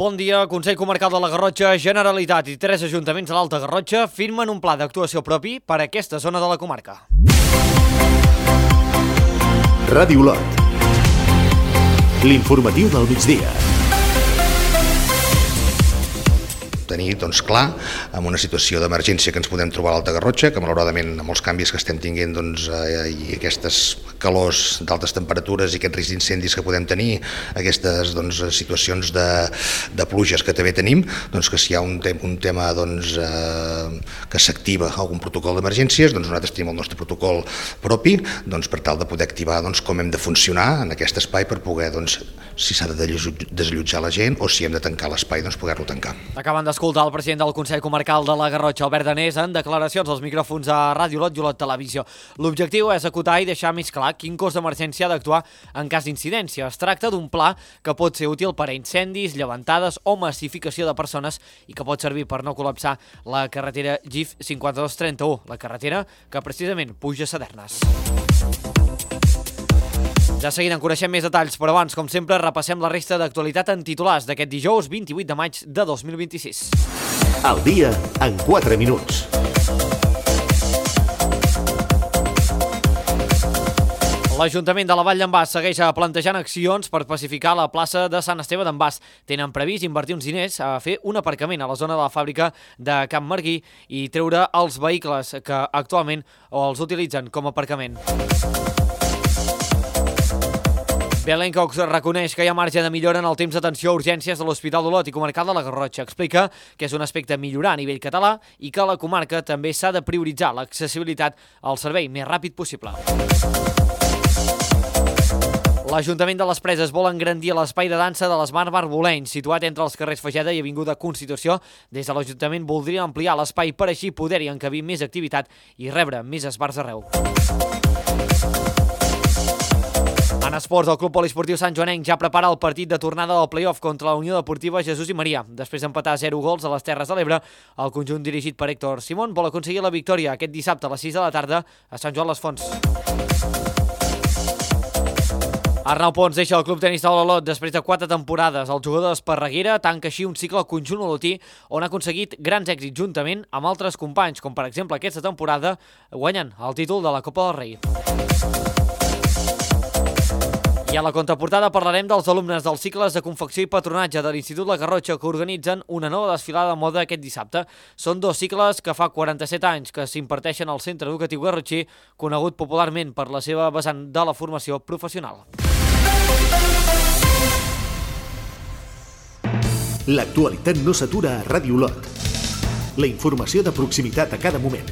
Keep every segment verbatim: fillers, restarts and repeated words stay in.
Bon dia. Consell Comarcal de la Garrotxa, Generalitat i tres ajuntaments de l'Alta Garrotxa firmen un pla d'actuació propi per a aquesta zona de la comarca. Ràdio Lot. L'informatiu del migdia. Tenir doncs, clar, amb una situació d'emergència que ens podem trobar a l'Alta Garrotxa, que malauradament amb els canvis que estem tinguent doncs, eh, i aquestes calors d'altes temperatures i aquests riscs d'incendis que podem tenir, aquestes doncs, situacions de, de pluges que també tenim, doncs, que si hi ha un, te un tema doncs, eh, que s'activa algun protocol d'emergències, doncs nosaltres tenim el nostre protocol propi doncs, per tal de poder activar doncs, com hem de funcionar en aquest espai per poder, doncs, si s'ha de desallotjar la gent o si hem de tancar l'espai, doncs poder-lo tancar. Acaben d'escoltar el president del Consell Comarcal de la Garrotxa, Albert Danés, en declaracions als micròfons a Ràdio Lot i Olot Televisió. L'objectiu és acotar i deixar més clar quin cos d'emergència ha d'actuar en cas d'incidència. Es tracta d'un pla que pot ser útil per a incendis, llevantades o massificació de persones i que pot servir per no col·lapsar la carretera G I F cinquanta-dos trenta-u, la carretera que precisament puja a Sadernes. Ja seguint en coneixem més detalls, però abans, com sempre, repassem la resta d'actualitat en titulars d'aquest dijous vint-i-vuit de maig de dos mil vint-i-sis. El dia en quatre minuts. L'Ajuntament de la Vall d'en Bas segueix plantejant accions per pacificar la plaça de Sant Esteve d'en Bas. Tenen previst invertir uns diners a fer un aparcament a la zona de la fàbrica de Camp Marguí i treure els vehicles que actualment els utilitzen com a aparcament. Belén Cox reconeix que hi ha marge de millora en el temps d'atenció a urgències de l'Hospital d'Olot i Comarcal de la Garrotxa. Explica que és un aspecte a millorar a nivell català i que a la comarca també s'ha de prioritzar l'accessibilitat al servei més ràpid possible. L'Ajuntament de les Preses vol engrandir l'espai de dansa de l'Smart Bar Boleny, situat entre els carrers Fageda i Avinguda Constitució. Des de l'Ajuntament voldria ampliar l'espai per així poder-hi encabir més activitat i rebre més esbarts arreu. En esports, el Club Poliesportiu Sant Joanenc ja prepara el partit de tornada del play-off contra la Unió Deportiva Jesús i Maria. Després d'empatar zero gols a les Terres de l'Ebre, el conjunt dirigit per Héctor Simón vol aconseguir la victòria aquest dissabte a les sis de la tarda a Sant Joan les Fonts. Arnau Pons deixa el Club Tenis Taula Olot després de quatre temporades. El jugador d'Esparreguera tanca així un cicle al conjunt olotí on ha aconseguit grans èxits juntament amb altres companys, com per exemple aquesta temporada guanyant el títol de la Copa del Rei. I a la contraportada parlarem dels alumnes dels cicles de confecció i patronatge de l'Institut La Garrotxa que organitzen una nova desfilada de moda aquest dissabte. Són dos cicles que fa quaranta-set anys que s'imparteixen al Centre Educatiu Garrotxí, conegut popularment per la seva vessant de la formació professional. L'actualitat no s'atura a Ràdio Lot. La informació de proximitat a cada moment.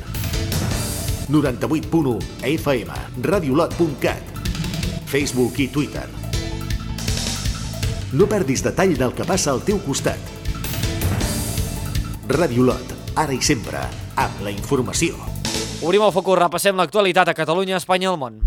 noranta-vuit punt u F M, radiolot punt cat. Facebook i Twitter. No perdis detall del que passa al teu costat. Ràdio Lot, ara i sempre, amb la informació. Obrim el focus, repassem l'actualitat a Catalunya, Espanya i el món.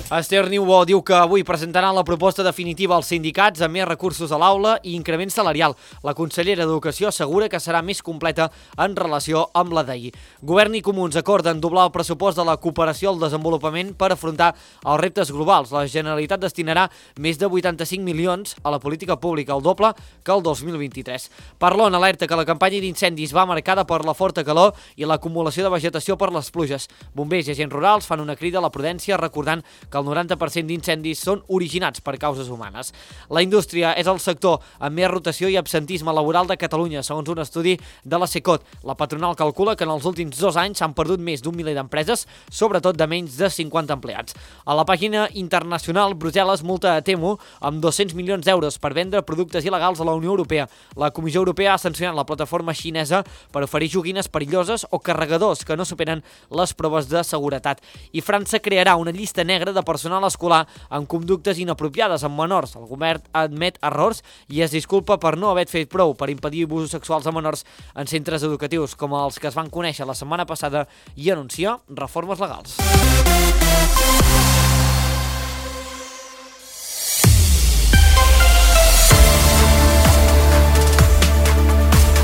Esther Niubó diu que avui presentaran la proposta definitiva als sindicats amb més recursos a l'aula i increment salarial. La consellera d'Educació assegura que serà més completa en relació amb la d'ahir. Govern i Comuns acorden doblar el pressupost de la cooperació al desenvolupament per afrontar els reptes globals. La Generalitat destinarà més de vuitanta-cinc milions a la política pública, el doble que el dos mil vint-i-tres. Parlon alerta que la campanya d'incendis va marcada per la forta calor i l'acumulació de vegetació per les pluges. Bombers i agents rurals fan una crida a la prudència recordant que el noranta per cent d'incendis són originats per causes humanes. La indústria és el sector amb més rotació i absentisme laboral de Catalunya, segons un estudi de la Secot. La patronal calcula que en els últims dos anys s'han perdut més d'un miler d'empreses, sobretot de menys de cinquanta empleats. A la pàgina internacional, Brussel·les multa a Temu amb dos-cents milions d'euros per vendre productes il·legals a la Unió Europea. La Comissió Europea ha sancionat la plataforma xinesa per oferir joguines perilloses o carregadors que no superen les proves de seguretat. I França crearà una llista negra de personal escolar amb conductes inapropiades amb menors. El govern admet errors i es disculpa per no haver fet prou per impedir abusos sexuals a menors en centres educatius com els que es van conèixer la setmana passada i anuncia reformes legals.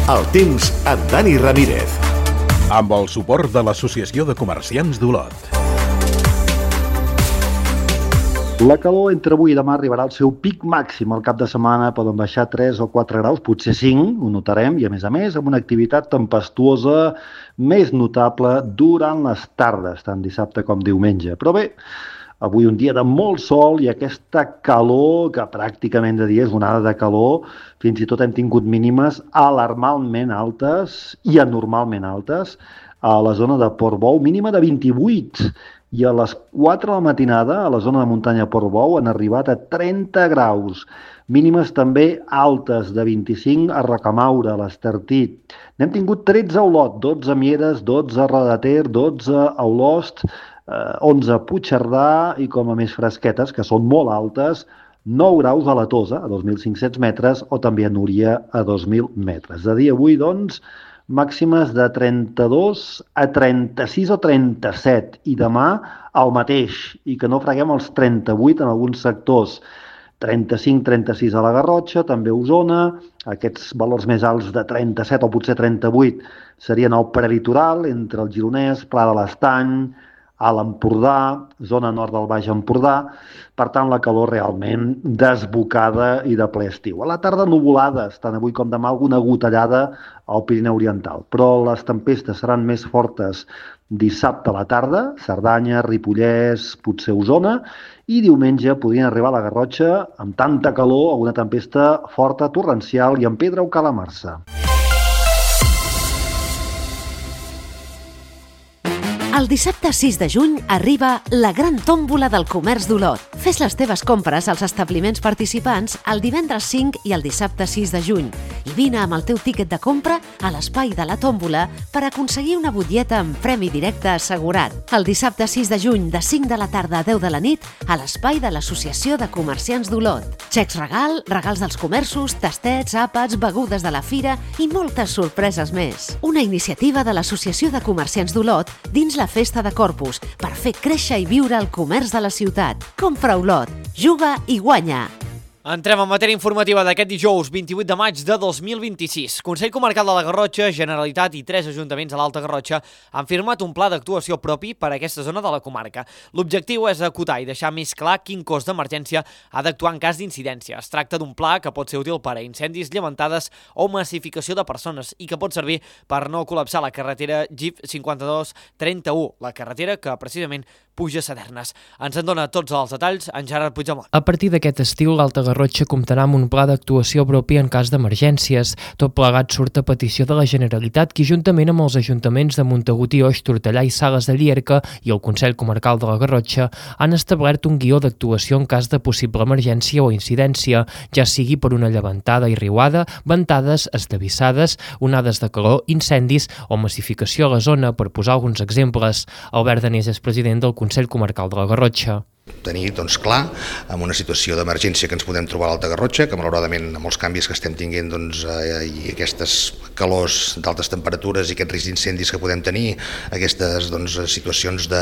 El temps amb Dani Ramírez. Amb el suport de l'Associació de Comerciants d'Olot. La calor entre avui i demà arribarà al seu pic màxim. Al cap de setmana poden baixar tres o quatre graus, potser cinc, ho notarem, i a més a més amb una activitat tempestuosa més notable durant les tardes, tant dissabte com diumenge. Però bé, avui un dia de molt sol i aquesta calor, que pràcticament de dia és onada de calor, fins i tot hem tingut mínimes alarmalment altes i anormalment altes a la zona de Portbou, mínima de vint-i-vuit, i a les quatre de la matinada a la zona de muntanya Portbou han arribat a trenta graus, mínimes també altes de vint-i-cinc a Rocamaure, a l'Estartit. N'hem tingut tretze a Olot, dotze a Mieres, dotze a Roda de Ter, dotze a Olost, onze a Puigcerdà i com a més fresquetes, que són molt altes, nou graus a la Tosa, a dos mil cinc-cents metres, o també a Núria, a dos mil metres. De dia avui, doncs, màximes de trenta-dos a trenta-sis o trenta-set, i demà el mateix, i que no freguem els trenta-vuit en alguns sectors. trenta-cinc a trenta-sis a la Garrotxa, també a Osona, aquests valors més alts de trenta-set o potser trenta-vuit serien al prelitoral, entre el Gironès, Pla de l'Estany, a l'Empordà, zona nord del Baix Empordà. Per tant, la calor realment desbocada i de ple estiu. A la tarda nuvolades, tant avui com demà alguna gotellada al Pirineu Oriental, però les tempestes seran més fortes dissabte a la tarda, Cerdanya, Ripollès, potser Osona, i diumenge podrien arribar a la Garrotxa amb tanta calor, alguna tempesta forta, torrencial i amb pedra o calamarsa. El dissabte sis de juny arriba la gran tòmbola del comerç d'Olot. Fes les teves compres als establiments participants el divendres cinc i el dissabte sis de juny i vine amb el teu tíquet de compra a l'espai de la tòmbola per aconseguir una butlleta amb premi directe assegurat. El dissabte sis de juny de cinc de la tarda a deu de la nit a l'espai de l'Associació de Comerciants d'Olot. Xecs regal, regals dels comerços, tastets, àpats, begudes de la fira i moltes sorpreses més. Una iniciativa de l'Associació de Comerciants d'Olot dins la Festa de Corpus per fer créixer i viure el comerç de la ciutat. Compra Olot, juga i guanya! Entrem en matèria informativa d'aquest dijous vint-i-vuit de maig de dos mil vint-i-sis. Consell Comarcal de la Garrotxa, Generalitat i tres ajuntaments a l'Alta Garrotxa han firmat un pla d'actuació propi per a aquesta zona de la comarca. L'objectiu és acotar i deixar més clar quin cos d'emergència ha d'actuar en cas d'incidència. Es tracta d'un pla que pot ser útil per a incendis, llevantades o massificació de persones i que pot servir per no col·lapsar la carretera G I F cinquanta-dos trenta-u, la carretera que precisament puja a Sadernes. Ens en dona tots els detalls en Gerard Puigdemont. A partir d'aquest estiu, l'Alta Garrotxa comptarà amb un pla d'actuació propi en cas d'emergències. Tot plegat surt a petició de la Generalitat, que juntament amb els ajuntaments de Montagut i Oix, Tortellà i Sales de Llierca i el Consell Comarcal de la Garrotxa han establert un guió d'actuació en cas de possible emergència o incidència, ja sigui per una llevantada i riuada, ventades, esllavissades, onades de calor, incendis o massificació a la zona, per posar alguns exemples. Albert Danés és president del Consell Comarcal de la Garrotxa. Tenir doncs, clar, en una situació d'emergència que ens podem trobar a l'Alta Garrotxa, que malauradament amb els canvis que estem tinguent doncs, eh, i aquestes calors d'altes temperatures i aquest risc d'incendis que podem tenir, aquestes doncs, situacions de,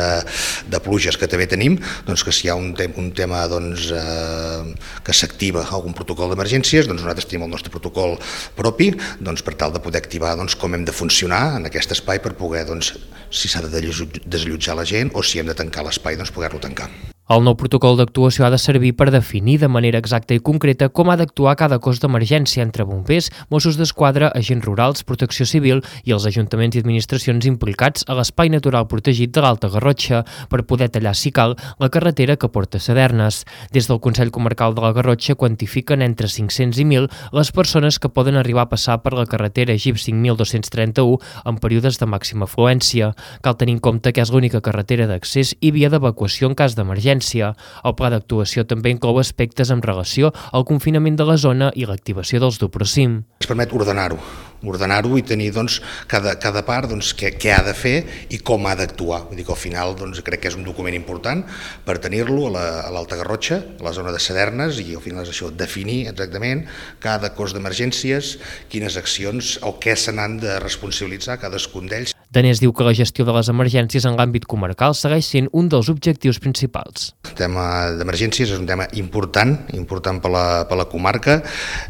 de pluges que també tenim, doncs, que si hi ha un, te un tema doncs, eh, que s'activa algun protocol d'emergències, doncs nosaltres tenim el nostre protocol propi doncs, per tal de poder activar doncs, com hem de funcionar en aquest espai per poder, doncs, si s'ha de desallotjar la gent o si hem de tancar l'espai, doncs poder-lo tancar. El nou protocol d'actuació ha de servir per definir de manera exacta i concreta com ha d'actuar cada cos d'emergència entre bombers, Mossos d'Esquadra, agents rurals, protecció civil i els ajuntaments i administracions implicats a l'espai natural protegit de l'Alta Garrotxa per poder tallar, si cal, la carretera que porta a Sadernes. Des del Consell Comarcal de la Garrotxa quantifiquen entre cinc-cents i mil les persones que poden arribar a passar per la carretera G I F cinc mil dos-cents trenta-u en períodes de màxima afluència. Cal tenir en compte que és l'única carretera d'accés i via d'evacuació en cas d'emergència. El pla d'actuació també inclou aspectes en relació al confinament de la zona i l'activació dels Duprocim. Ens permet ordenar-ho, ordenar-ho i tenir doncs, cada, cada part doncs, què, què ha de fer i com ha d'actuar. Vull dir que al final doncs, crec que és un document important per tenir-lo a l'Alta Garrotxa, a la zona de Sadernes, i al final és això, definir exactament cada cos d'emergències, quines accions o què se n'han de responsabilitzar cadascun d'ells. Danés diu que la gestió de les emergències en l'àmbit comarcal segueix sent un dels objectius principals. El tema d'emergències és un tema important, important per la, per la comarca.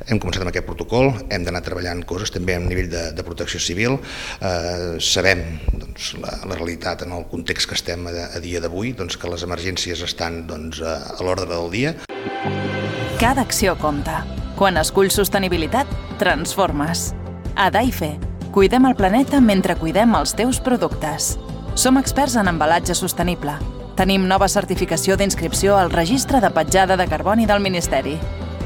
Hem començat amb aquest protocol, hem d'anar treballant coses també a nivell de, de protecció civil. Eh, sabem doncs, la, la realitat en el context que estem a, a dia d'avui, doncs, que les emergències estan doncs, a, a l'ordre del dia. Cada acció compta. Quan esculls sostenibilitat, transformes. A Daife, cuidem el planeta mentre cuidem els teus productes. Som experts en embalatge sostenible. Tenim nova certificació d'inscripció al Registre de Petjada de Carboni del Ministeri.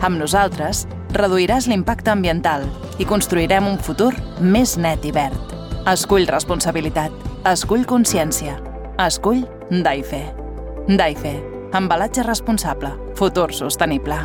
Amb nosaltres, reduiràs l'impacte ambiental i construirem un futur més net i verd. Escull responsabilitat. Escull consciència. Escull Daife. Daife. Embalatge responsable. Futur sostenible.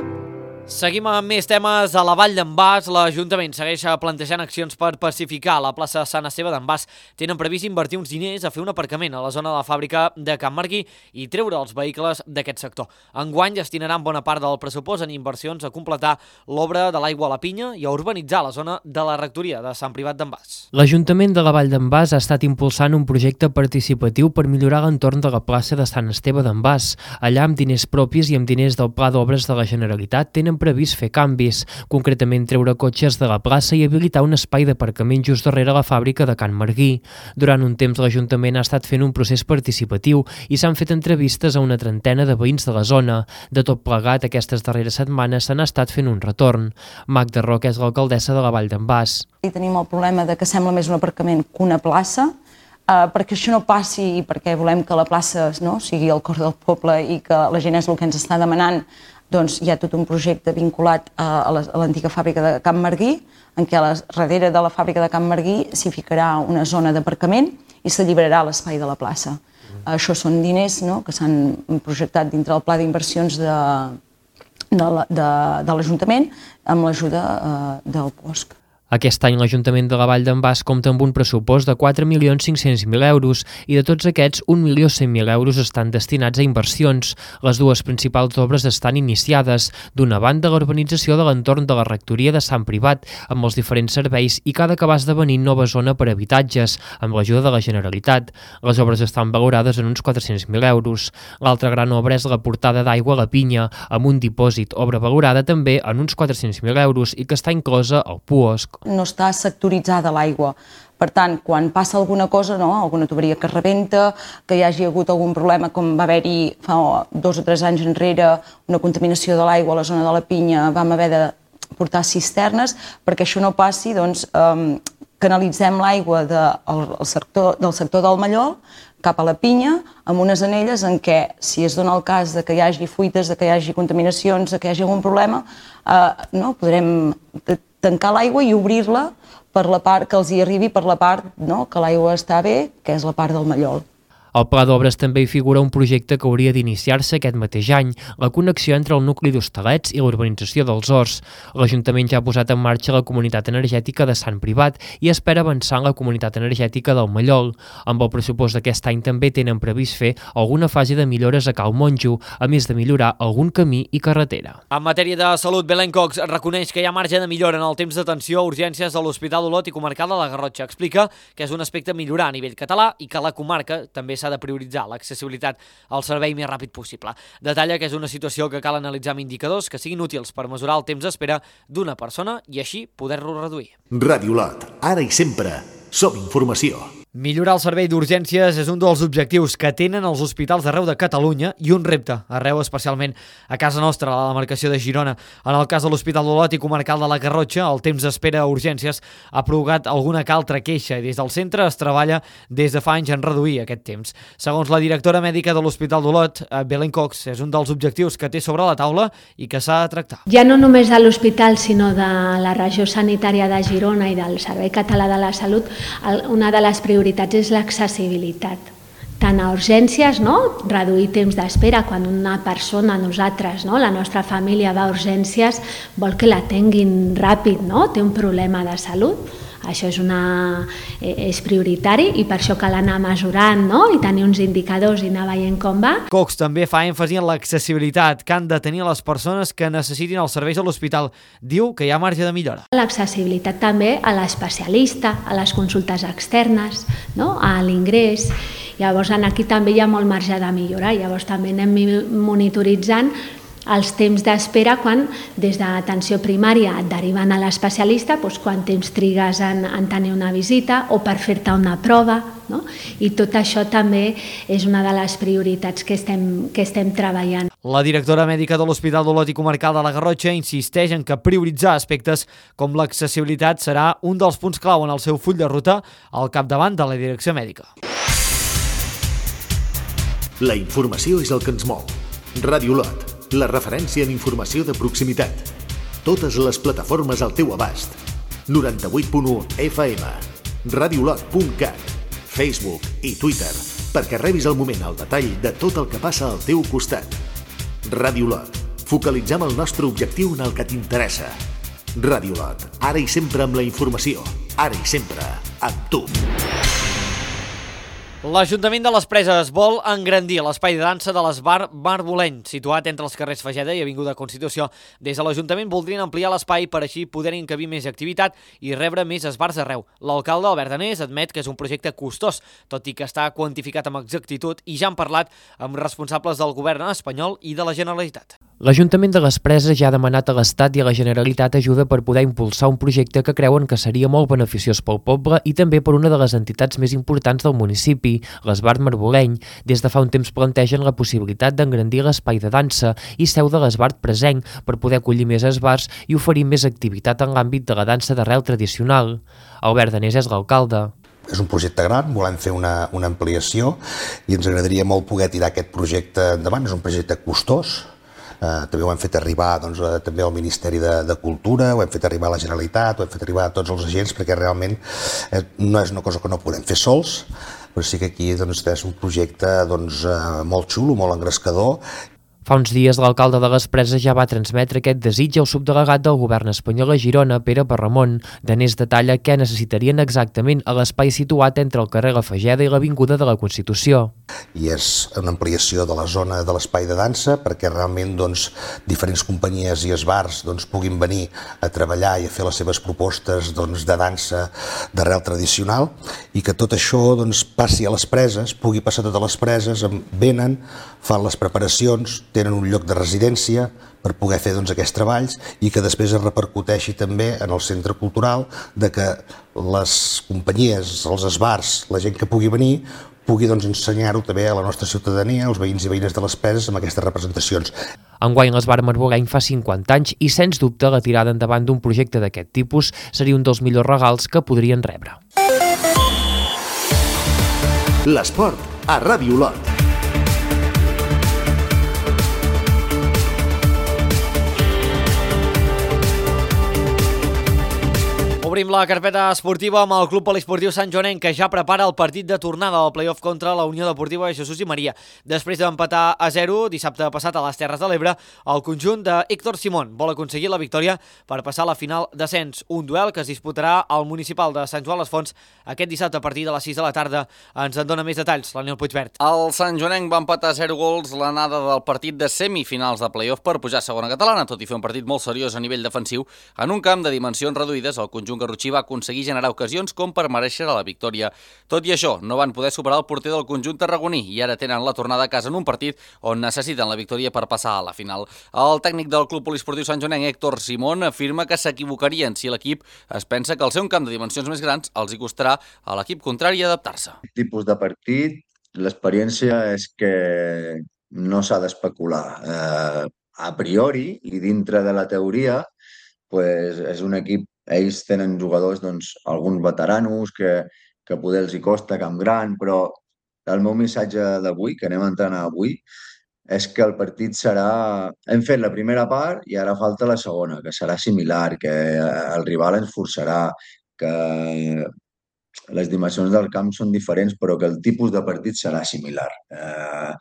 Seguim amb més temes. A la Vall d'en Bas, l'Ajuntament segueix plantejant accions per pacificar la plaça Sant Esteve d'en Bas. Tenen previst invertir uns diners a fer un aparcament a la zona de la fàbrica de Can Marguí i treure els vehicles d'aquest sector. Enguany destinaran bona part del pressupost en inversions a completar l'obra de l'aigua a la Pinya i a urbanitzar la zona de la rectoria de Sant Privat d'en Bas. L'Ajuntament de la Vall d'en Bas ha estat impulsant un projecte participatiu per millorar l'entorn de la plaça de Sant Esteve d'en Bas. Allà, amb diners propis i amb diners del Pla d'Obres de la Generalitat, tenen previst fer canvis, concretament treure cotxes de la plaça i habilitar un espai d'aparcament just darrere la fàbrica de Can Marguí. Durant un temps l'Ajuntament ha estat fent un procés participatiu i s'han fet entrevistes a una trentena de veïns de la zona. De tot plegat, aquestes darreres setmanes s'han estat fent un retorn. Magda Roca és l'alcaldessa de la Vall d'en Bas. I tenim el problema de que sembla més un aparcament que una plaça, Uh, perquè això no passi i perquè volem que la plaça no, sigui el cor del poble i que la gent és el que ens està demanant, doncs hi ha tot un projecte vinculat a, a l'antiga fàbrica de Can Marguí, en què a la, darrere de la fàbrica de Can Marguí s'hi ficarà una zona d'aparcament i s'alliberarà l'espai de la plaça. Mm. Uh, això són diners no, que s'han projectat dintre del pla d'inversions de, de, de, de l'Ajuntament amb l'ajuda uh, del P O S C. Aquest any l'Ajuntament de la Vall d'en Bas compta amb un pressupost de quatre milions cinc-cents mil euros i de tots aquests un milió cent mil euros estan destinats a inversions. Les dues principals obres estan iniciades. D'una banda, l'urbanització de l'entorn de la rectoria de Sant Privat amb els diferents serveis i que ha d'acabar esdevenint nova zona per a habitatges amb l'ajuda de la Generalitat. Les obres estan valorades en uns quatre-cents mil euros. L'altra gran obra és la portada d'aigua a la Pinya amb un dipòsit, obra valorada també en uns quatre-cents mil euros i que està inclosa al P O S C. No està sectoritzada l'aigua. Per tant, quan passa alguna cosa, no, alguna tuberia que rebenta, que hi hagi hagut algun problema, com va haver-hi fa dos o tres anys enrere, una contaminació de l'aigua a la zona de la Pinya, vam haver de portar cisternes, perquè això no passi, doncs, um, canalitzem l'aigua de, el sector, del sector del Mallol cap a la Pinya, amb unes anelles en què, si es dona el cas de que hi hagi fuites, de que hi hagi contaminacions, de que hi hagi algun problema, eh, no, podrem tancar l'aigua i obrir-la per la part que els hi arribi, per la part no, que l'aigua està bé, que és la part del Mallol. Al Pla d'Obres també hi figura un projecte que hauria d'iniciar-se aquest mateix any, la connexió entre el nucli d'Hostalets i la urbanització dels Horts. L'Ajuntament ja ha posat en marxa la comunitat energètica de Sant Privat i espera avançar en la comunitat energètica del Mallol. Amb el pressupost d'aquest any també tenen previst fer alguna fase de millores a Cal Monjo, a més de millorar algun camí i carretera. En matèria de salut, Belén Cox reconeix que hi ha marge de millora en el temps d'atenció a urgències de l'Hospital Olot i Comarcal de la Garrotxa. Explica que és un aspecte a millorar a nivell català i que la comarca també s'ha de prioritzar l'accessibilitat al servei més ràpid possible. Detalla que és una situació que cal analitzar amb indicadors que siguin útils per mesurar el temps d'espera d'una persona i així poder-lo reduir. Ràdio Olot, ara i sempre, som informació. Millorar el servei d'urgències és un dels objectius que tenen els hospitals d'arreu de Catalunya i un repte arreu, especialment a casa nostra, a la demarcació de Girona. En el cas de l'Hospital d'Olot i Comarcal de la Garrotxa, el temps d'espera a urgències ha provocat alguna que altra queixa i des del centre es treballa des de fa anys en reduir aquest temps. Segons la directora mèdica de l'Hospital d'Olot, Belén Cox, és un dels objectius que té sobre la taula i que s'ha de tractar. Ja no només de l'hospital, sinó de la regió sanitària de Girona i del Servei Català de la Salut, una de les prioritats és l'accessibilitat. Tant a urgències, no? Reduir temps d'espera quan una persona, nosaltres, no? La nostra família va a urgències, vol que l'atenguin ràpid, no? Té un problema de salut, Això és, una, és prioritari i per això cal anar mesurant, no? I tenir uns indicadors i anar veient com va. Cox també fa èmfasi en l'accessibilitat que han de tenir les persones que necessitin els serveis a l'hospital. Diu que hi ha marge de millora. L'accessibilitat també a l'especialista, a les consultes externes, no? A l'ingrés. Llavors aquí també hi ha molt marge de millorar. Llavors també anem monitoritzant els temps d'espera quan des d'atenció primària et deriven a l'especialista, doncs quan temps trigues en, en tenir una visita o per fer-te una prova, no? I tot això també és una de les prioritats que estem, que estem treballant. La directora mèdica de l'Hospital d'Olot i Comarcal de la Garrotxa insisteix en que prioritzar aspectes com l'accessibilitat serà un dels punts clau en el seu full de ruta al capdavant de la direcció mèdica. La informació és el que ens mou. Ràdio Olot, la referència en informació de proximitat. Totes les plataformes al teu abast. noranta-vuit punt u F M, radiolot punt cat, Facebook i Twitter, perquè rebis al moment el detall de tot el que passa al teu costat. Ràdio Olot, focalitzem el nostre objectiu en el que t'interessa. Ràdio Olot, ara i sempre amb la informació, ara i sempre amb tu. L'Ajuntament de les Preses vol engrandir l'espai de dansa de l'Esbar Marboleny, situat entre els carrers Fageda i Avinguda Constitució. Des de l'Ajuntament voldrien ampliar l'espai per així poder encabir més activitat i rebre més esbars arreu. L'alcalde Albert Danés admet que és un projecte costós, tot i que està quantificat amb exactitud i ja han parlat amb responsables del govern espanyol i de la Generalitat. L'Ajuntament de les Preses ja ha demanat a l'Estat i a la Generalitat ajuda per poder impulsar un projecte que creuen que seria molt beneficiós pel poble i també per una de les entitats més importants del municipi, l'Esbar Marboleny. Des de fa un temps plantegen la possibilitat d'engrandir l'espai de dansa i seu de l'Esbar Presenc per poder acollir més esbars i oferir més activitat en l'àmbit de la dansa d'arrel tradicional. Albert Danés és l'alcalde. És un projecte gran, volem fer una, una ampliació i ens agradaria molt poder tirar aquest projecte endavant. És un projecte costós. Uh, també ho hem fet arribar doncs, uh, també al Ministeri de, de Cultura, ho hem fet arribar a la Generalitat, ho hem fet arribar a tots els agents, perquè realment eh, no és una cosa que no podem fer sols, però sí que aquí doncs, és un projecte doncs, uh, molt xulo, molt engrescador. Fa uns dies l'alcalde de les Preses ja va transmetre aquest desig al subdelegat del govern espanyol a Girona, Pere Parramon. Danés detalla què necessitarien exactament a l'espai situat entre el carrer La Fageda i l'Avinguda de la Constitució. I és una ampliació de la zona de l'espai de dansa perquè realment doncs, diferents companyies i esbars doncs, puguin venir a treballar i a fer les seves propostes doncs, de dansa d'arrel tradicional i que tot això doncs, passi a les Preses, pugui passar a totes les Preses, venen, fan les preparacions, tenen un lloc de residència per poder fer doncs, aquests treballs i que després es repercuteixi també en el centre cultural de que les companyies, els esbars, la gent que pugui venir, pugui doncs, ensenyar-ho també a la nostra ciutadania, als veïns i veïnes de les Preses, amb aquestes representacions. Enguany l'Esbar Marboleny fa cinquanta anys i, sens dubte, la tirada endavant d'un projecte d'aquest tipus seria un dels millors regals que podrien rebre. L'esport a Ràdio Olot. Obrim la carpeta esportiva amb el Club Poliesportiu Sant Joanenc, que ja prepara el partit de tornada del play-off contra la Unió Deportiva de Jesús i Maria. Després d'empatar a zero dissabte passat a les Terres de l'Ebre, el conjunt de Héctor Simón vol aconseguir la victòria per passar a la final d'ascens. Un duel que es disputarà al municipal de Sant Joan les Fonts aquest dissabte a partir de les sis de la tarda. Ens en dona més detalls l'Aniol Puigvert. El Sant Joanenc va empatar a zero gols l'anada del partit de semifinals de play-off per pujar a segona catalana, tot i fer un partit molt seriós a nivell defensiu. En un camp de dimensions reduïdes, el conjunt garrotxí va aconseguir generar ocasions com per mereixer la victòria. Tot i això, no van poder superar el porter del conjunt tarragoní i ara tenen la tornada a casa en un partit on necessiten la victòria per passar a la final. El tècnic del Club Poliesportiu Sant Joanenc, Héctor Simón, afirma que s'equivocarien si l'equip es pensa que al ser un camp de dimensions més grans els hi costarà a l'equip contrari adaptar-se. Aquest tipus de partit, l'experiència és que no s'ha d'especular. Eh, a priori i dintre de la teoria, pues, és un equip. Ells tenen jugadors, doncs, alguns veteranos que, que poder els hi costa Camp Gran, però el meu missatge d'avui, que anem a entrenar avui, és que el partit serà... Hem fet la primera part i ara falta la segona, que serà similar, que el rival ens forçarà, que les dimensions del camp són diferents, però que el tipus de partit serà similar. Eh,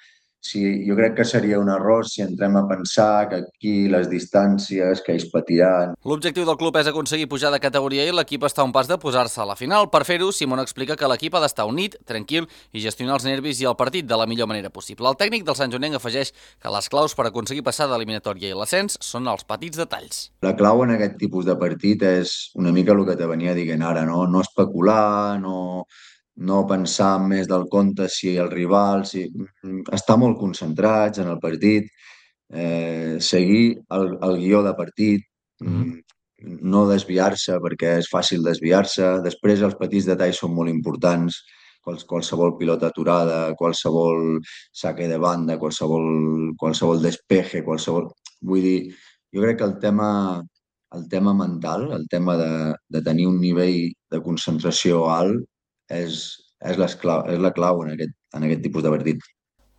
si, jo crec que seria un error si entrem a pensar que aquí les distàncies que ells patiran... L'objectiu del club és aconseguir pujar de categoria i l'equip està a un pas de posar-se a la final. Per fer-ho, Simón explica que l'equip ha d'estar unit, tranquil i gestionar els nervis i el partit de la millor manera possible. El tècnic del Sant Joanenc afegeix que les claus per aconseguir passar de l'eliminatòria i l'ascens són els petits detalls. La clau en aquest tipus de partit és una mica el que te venia dient ara, no, no especular, no... no pensar més del compte si el rival, si... estar molt concentrats en el partit, eh, seguir el, el guió de partit, mm-hmm. no desviar-se perquè és fàcil desviar-se. Després els petits detalls són molt importants, Quals, qualsevol pilota aturada, qualsevol saque de banda, qualsevol, qualsevol despeje, qualsevol... Vull dir, jo crec que el tema, el tema mental, el tema de, de tenir un nivell de concentració alt, és, és, l'esclau, és la clau en aquest, en aquest tipus de partit.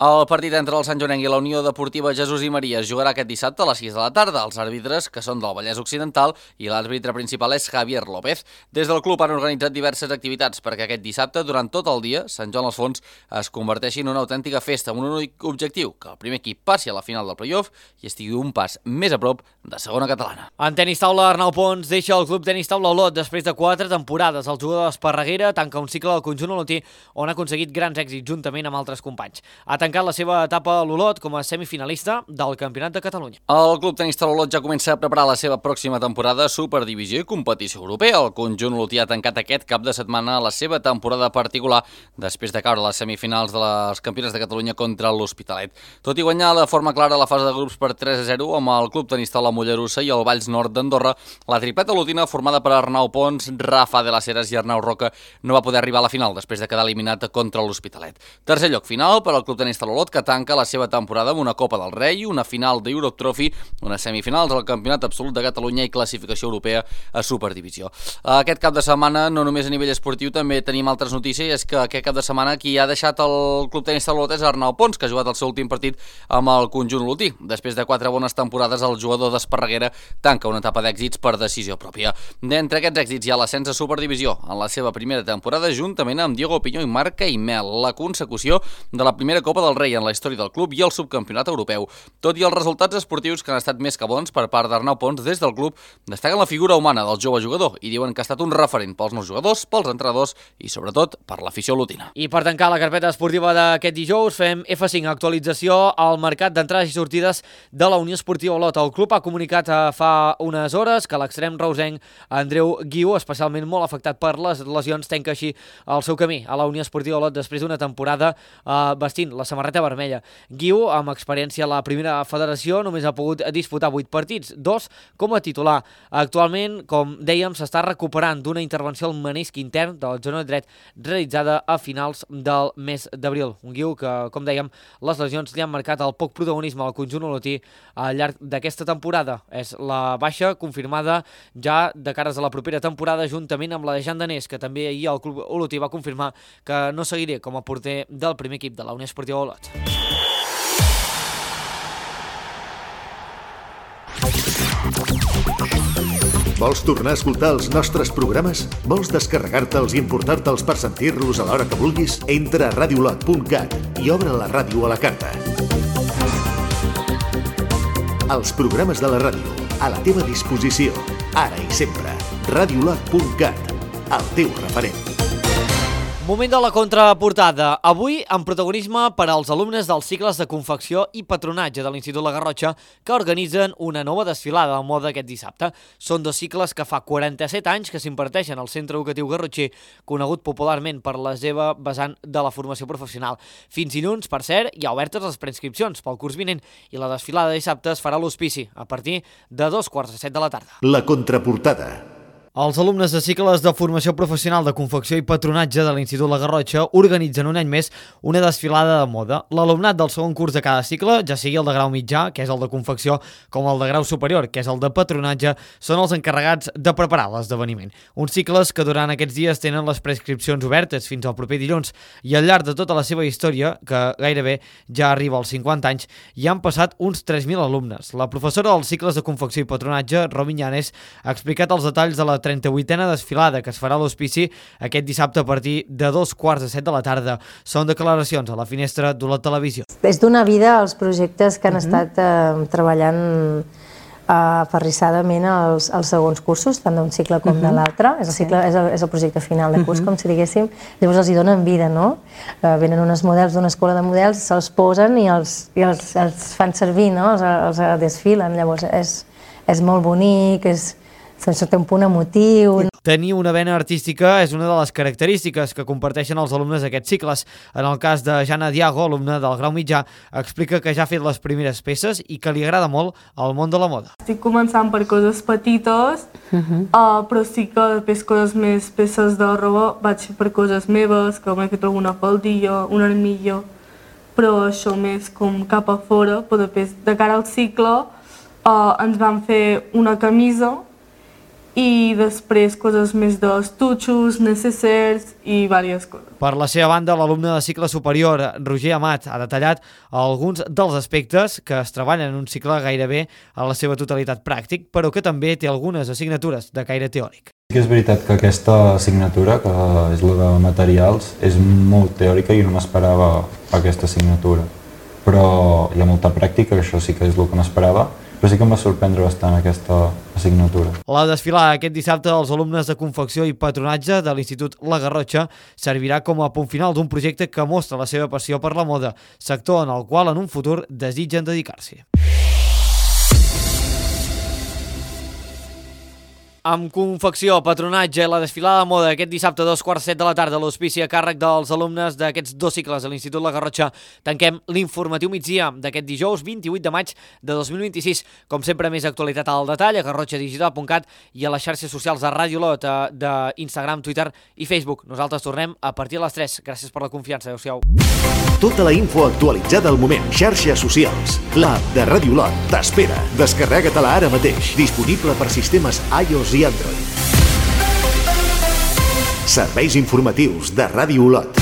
El partit entre el Sant Joanenc i la Unió Deportiva Jesús i Maria es jugarà aquest dissabte a les sis de la tarda. Els àrbitres, que són del Vallès Occidental, i l'àrbitre principal és Javier López. Des del club han organitzat diverses activitats perquè aquest dissabte, durant tot el dia, Sant Joan les Fonts es converteixi en una autèntica festa amb un únic objectiu, que el primer equip passi a la final del play-off i estigui un pas més a prop de segona catalana. En tenis taula, Arnau Pons deixa el club tenis taula Olot després de quatre temporades. El jugador d'Esparreguera tanca un cicle del conjunt olotí on ha aconseguit grans èxits juntament amb altres companys. Ha tancat la seva etapa a l'Olot com a semifinalista del Campionat de Catalunya. El club tenis taula Olot ja comença a preparar la seva pròxima temporada a Superdivisió i competició europea. El conjunt olotí ha tancat aquest cap de setmana la seva temporada particular després de caure a les semifinals de les Campionats de Catalunya contra l'Hospitalet. Tot i guanyar de forma clara la fase de grups per tres a zero amb el club tenis taula Mollerussa i el Valls Nord d'Andorra, la tripleta olotina formada per Arnau Pons, Rafa de las Heras i Arnau Roca no va poder arribar a la final després de quedar eliminat contra l'Hospitalet. Tercer lloc final per al club tenis taula Olot, que tanca la seva temporada amb una Copa del Rei, una final d'Europe Trophy, unes semifinals al Campionat Absolut de Catalunya i classificació europea a Superdivisió. Aquest cap de setmana, no només a nivell esportiu, també tenim altres notícies, i és que aquest cap de setmana qui ha deixat el club tenis taula Olot és Arnau Pons, que ha jugat el seu últim partit amb el conjunt olotí. Després de quatre bones temporades, el jugador d'Esparreguera tanca una etapa d'èxits per decisió pròpia. D'entre aquests èxits hi ha l'ascens a Superdivisió en la seva primera temporada, juntament amb Diego Pinyó i Marc Caimel, la consecució de la primera Copa del Rei en la història del club i el subcampionat europeu. Tot i els resultats esportius que han estat més que bons per part d'Arnau Pons, des del club destaquen la figura humana del jove jugador i diuen que ha estat un referent pels nous jugadors, pels entrenadors i sobretot per l'afició olotina. I per tancar la carpeta esportiva d'aquest dijous fem F cinc, actualització al mercat d'entrades i sortides de la Unió Esportiva Olot. El club ha comunicat fa unes hores que l'extrem reusenc Andreu Guiu, especialment molt afectat per les lesions, tanca així el seu camí a la Unió Esportiva Olot després d'una temporada eh, vestint la samarreta vermella. Guiu, amb experiència a la primera federació, només ha pogut disputar vuit partits, dos com a titular. Actualment, com dèiem, s'està recuperant d'una intervenció al menisc intern del genoll dret realitzada a finals del mes d'abril. Un Guiu que, com dèiem, les lesions li han marcat el poc protagonisme al conjunt olotí al llarg d'aquesta temporada. És la baixa confirmada ja de cares a la propera temporada, juntament amb la de Jan Danés, que també ahir el club olotí va confirmar que no seguiré com a porter del primer equip de la Unió Esportiva Olot. Vols tornar a escoltar els nostres programes? Vols descarregar-te'ls i importar-te'ls per sentir-los a l'hora que vulguis? Entra a radiolot punt cat i obre la ràdio a la carta. Els programes de la ràdio, a la teva disposició, ara i sempre. radiolot punt cat, el teu referent. Moment de la contraportada. Avui, amb protagonisme per als alumnes dels cicles de confecció i patronatge de l'Institut La Garrotxa, que organitzen una nova desfilada de moda aquest dissabte. Són dos cicles que fa quaranta-set anys que s'imparteixen al Centre Educatiu Garrotxer, conegut popularment per la seva vessant de la formació professional. Fins dilluns, per cert, hi ha obertes les preinscripcions pel curs vinent i la desfilada de dissabte es farà a l'Hospici a partir de dos quarts de set de la tarda. La contraportada. Els alumnes de cicles de formació professional de confecció i patronatge de l'Institut La Garrotxa organitzen un any més una desfilada de moda. L'alumnat del segon curs de cada cicle, ja sigui el de grau mitjà, que és el de confecció, com el de grau superior, que és el de patronatge, són els encarregats de preparar l'esdeveniment. Uns cicles que durant aquests dies tenen les prescripcions obertes fins al proper dilluns i al llarg de tota la seva història, que gairebé ja arriba als cinquanta anys, hi han passat uns tres mil alumnes. La professora dels cicles de confecció i patronatge, Romi Llanes, ha explicat els detalls de la trenta-vuitena desfilada que es farà a l'Hospici aquest dissabte a partir de dos quarts de set de la tarda. Són declaracions a la finestra d'Olot Televisió. És donar vida als projectes que han uh-huh. estat eh, treballant aferrissadament els, els segons cursos, tant d'un cicle com uh-huh. de l'altre. És, el cicle, és, el, és el projecte final de curs, uh-huh. com si diguéssim. Llavors els hi donen vida, no? Eh, venen uns models d'una escola de models, se'ls posen i els, i els, els fan servir, no? Els, els desfilen. Llavors és, és molt bonic, és, té un punt emotiu. Tenir una vena artística és una de les característiques que comparteixen els alumnes d'aquests cicles. En el cas de Jana Diago, alumne del grau mitjà, explica que ja ha fet les primeres peces i que li agrada molt el món de la moda. Estic començant per coses petites, uh-huh. uh, però sí que després coses més, peces de roba, vaig fer per coses meves, que m'he fet alguna faldilla, un armillo, però això més com cap a fora, però després de cara al cicle uh, ens van fer una camisa i després coses més d'estutxos, necessers i diverses coses. Per la seva banda, l'alumne de cicle superior, Roger Amat, ha detallat alguns dels aspectes que es treballen en un cicle gairebé a la seva totalitat pràctic, però que també té algunes assignatures de caire teòric. Sí que és veritat que aquesta assignatura, que és la de materials, és molt teòrica i no m'esperava aquesta assignatura. Però hi ha molta pràctica, que això sí que és el que m'esperava, però sí que em va sorprendre bastant aquesta assignatura. La desfilada aquest dissabte dels alumnes de confecció i patronatge de l'Institut La Garrotxa servirà com a punt final d'un projecte que mostra la seva passió per la moda, sector en el qual en un futur desitgen dedicar-s'hi. Amb confecció, patronatge i la desfilada de moda aquest dissabte a dos quarts set de la tarda a l'Hospici a càrrec dels alumnes d'aquests dos cicles a l'Institut La Garrotxa, tanquem l'informatiu migdia d'aquest dijous vint-i-vuit de maig de dos mil vint-i-sis. Com sempre, més actualitat al detall a garrotxa digital punt cat i a les xarxes socials de Ràdio Olot, d'Instagram, Twitter i Facebook. Nosaltres tornem a partir de les tres. Gràcies per la confiança. Adéu-siau. Tota la info actualitzada al moment. Xarxes socials. L'app de Ràdio Olot t'espera. Descarrega-te-la ara mateix. Disponible per sistemes iOS i Android. Serveis informatius de Ràdio Olot.